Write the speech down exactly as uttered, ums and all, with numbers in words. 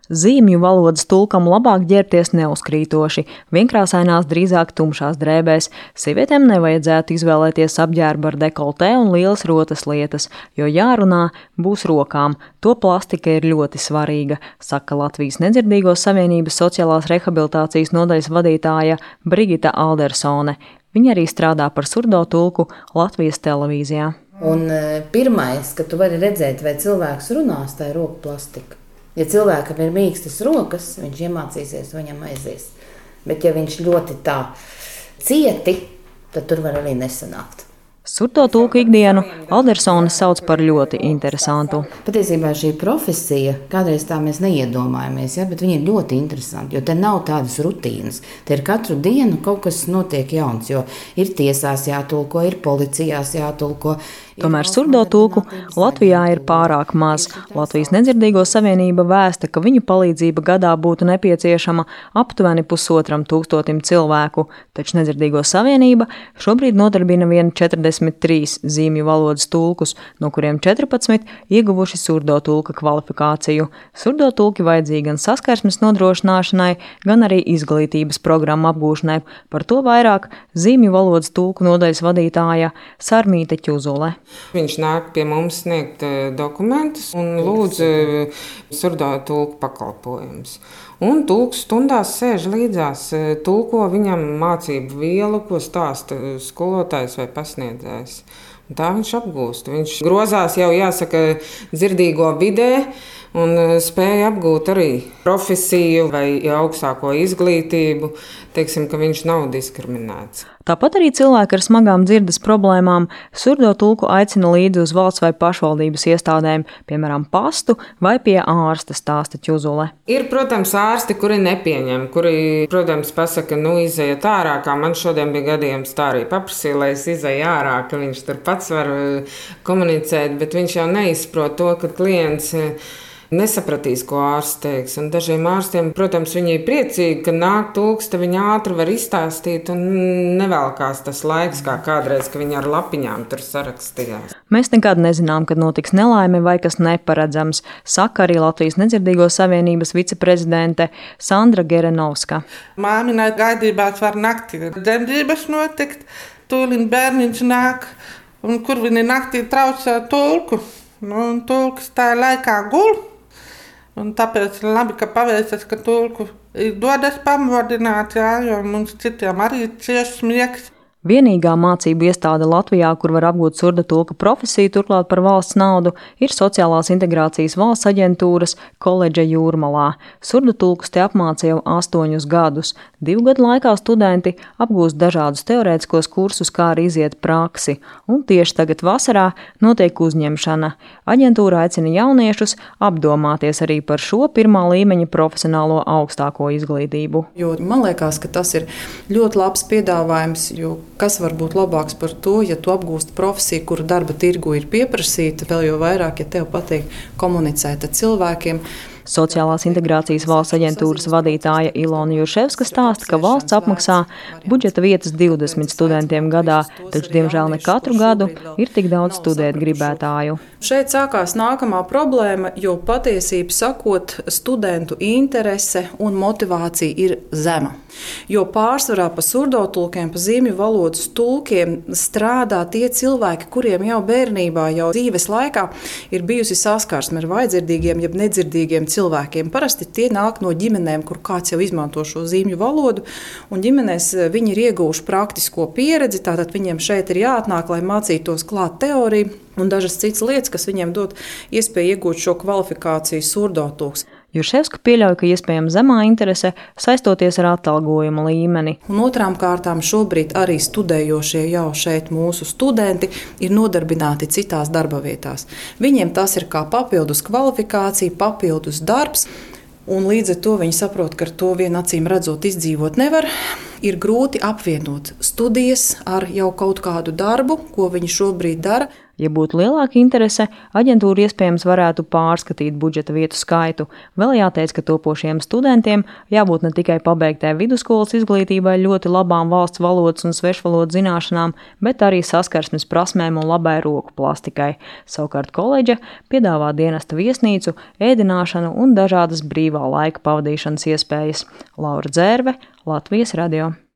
Zīmju valodas tulkam labāk ģērbties neuzkrītoši, vienkrāsainās drīzāk tumšās drēbēs. Sievietēm nevajadzētu izvēlēties apģērbu ar dekoltē un lielas rotas lietas, jo jārunā būs rokām. To plastika ir ļoti svarīga, saka Latvijas Nedzirdīgo savienības sociālās rehabilitācijas nodaļas vadītāja Brigita Aldersone. Viņa arī strādā par surdo tulku Latvijas televīzijā. Un pirmais, ka tu vari redzēt, vai cilvēks runās, tā ir roku plastika. Ja cilvēkam ir mīkstas rokas, viņš iemācīsies, viņam aizies. Bet ja viņš ļoti tā cieti, tad tur var arī nesanākt. Surdo tulku ikdienu Aldersone sauc par ļoti interesantu. Patiesībā šī profesija, kādreiz tā mēs neiedomājamies, ja, bet viņa ir ļoti interesanta, jo te nav tādas rutīnas. Te ir katru dienu kaut kas notiek jauns, jo ir tiesās jātulko, ir policijās jātulko. Tomēr surdo tulku Latvijā ir pārāk maz. Latvijas Nedzirdīgo savienība vēsta, ka viņu palīdzība gadā būtu nepieciešama aptuveni pusotram tūkstotim cilvēku, taču Nedzirdīgo savienība šobrīd nodarbina vien četrdesmit trīs zīmju valodas tulkus, no kuriem četrpadsmit ieguvuši surdo tulka kvalifikāciju. Surdo tulki vajadzīgi gan saskarsmes nodrošināšanai, gan arī izglītības programmu apgūšanai. Par to vairāk zīmju valodas tulku nodaļas vadītāja Sarmīte Ķuzule. Viņš nāk pie mums sniegt dokumentus un lūdz surdo tulku pakalpojumus. Un tulks stundās sēž līdzās, tulko viņam mācību vielu, ko stāsta skolotājs vai pasniedzējs. Un tā viņš apgūst. Viņš grozās jau, jāsaka, dzirdīgo vidē un spēja apgūt arī profesiju vai augstāko izglītību. Teiksim, ka viņš nav diskriminēts. Tāpat arī cilvēki ar smagām dzirdes problēmām surdo tulku aicina līdzi uz valsts vai pašvaldības iestādēm, piemēram, pastu vai pie ārsta, stāsta Ķuzule. Ir, protams, ārsti, kuri nepieņem, kuri, protams, pasaka, nu izejiet ārā, kā man šodien bija gadījums, tā arī paprasīja, lai es izeju ārā, ka viņš tur pats var komunicēt, bet viņš jau neizprot to, ka klients nesapratīs, ko ārsts teiks. Un dažiem ārstiem, protams, viņi ir priecīgi, ka nāk tulks, tad viņi ātri var izstāstīt un nevelkās tas laiks, kā kādreiz, ka viņi ar lapiņām tur sarakstījās. Mēs nekad nezinām, kad notiks nelaime vai kas neparedzams, saka arī Latvijas Nedzirdīgo savienības viceprezidente Sandra Gerenovska. Māminai gaidībās var naktī dzemdības notikt, tūlīt bērniņš nāk, un kur viņi naktī traucē tulku. Nu, un tulks tā laikā gul. Un tāpēc labi, ka paveicas, ka tulku dodas pamodināt, jā, jo mums citiem arī cieši smiegs. Vienīgā mācību iestāde Latvijā, kur var apgūt surda tulka profesiju, turklāt par valsts naudu, ir Sociālās integrācijas valsts aģentūras koledža Jūrmalā. Surda tulkus te apmāca jau astoņus gadus. Divu gadu laikā studenti apgūst dažādus teorētiskos kursus, kā arī iziet praksi. Un tieši tagad vasarā notiek uzņemšana. Aģentūra aicina jauniešus apdomāties arī par šo pirmā līmeņa profesionālo augstāko izglītību. Jo man liekas, ka tas ir ļoti labs piedāvājums, jo kas var būt labāks par to, ja tu apgūsti profesiju, kura darba tirgu ir pieprasīta, vēl jau vairāk, ja tev patīk komunicēt ar cilvēkiem. Sociālās integrācijas valsts aģentūras vadītāja Ilona Jurševska stāsta, ka valsts apmaksā budžeta vietas divdesmit studentiem gadā, taču, diemžēl, ne katru gadu ir tik daudz studēt gribētāju. Šeit sākās nākamā problēma, jo patiesību sakot, studentu interese un motivācija ir zema. Jo pārsvarā pa surdo tulkiem, pa zīmju valodas tulkiem strādā tie cilvēki, kuriem jau bērnībā, jau dzīves laikā ir bijusi saskarsme ar vājdzirdīgiem, jeb nedzirdīgiem cilvēkiem. Parasti tie nāk no ģimenēm, kur kāds jau izmanto šo zīmju valodu, un ģimenēs viņi ir ieguvuši praktisko pieredzi, tātad viņiem šeit ir jāatnāk, lai mācītos klāt teoriju un dažas citas lietas, kas viņiem dod iespēju iegūt šo kvalifikāciju surdo tulks. Jurševska pieļauj, ka iespējama zemā interese saistoties ar atalgojuma līmeni. Un otrām kārtām šobrīd arī studējošie jau šeit mūsu studenti ir nodarbināti citās darba vietās. Viņiem tas ir kā papildus kvalifikācija, papildus darbs, un līdz ar to viņi saprot, ka ar to vien acīm redzot izdzīvot nevar. Ir grūti apvienot studijas ar jau kaut kādu darbu, ko viņi šobrīd dara. Ja būtu lielāka interese, aģentūra iespējams varētu pārskatīt budžeta vietu skaitu. Vēl jāteic, ka topošiem studentiem jābūt ne tikai pabeigtai vidusskolas izglītībai ļoti labām valsts valodas un svešvalodu zināšanām, bet arī saskarsmes prasmēm un labai roku plastikai. Savukārt koledža piedāvā dienesta viesnīcu, ēdināšanu un dažādas brīvā laika pavadīšanas iespējas. Laura Dzērve, Latvijas radio.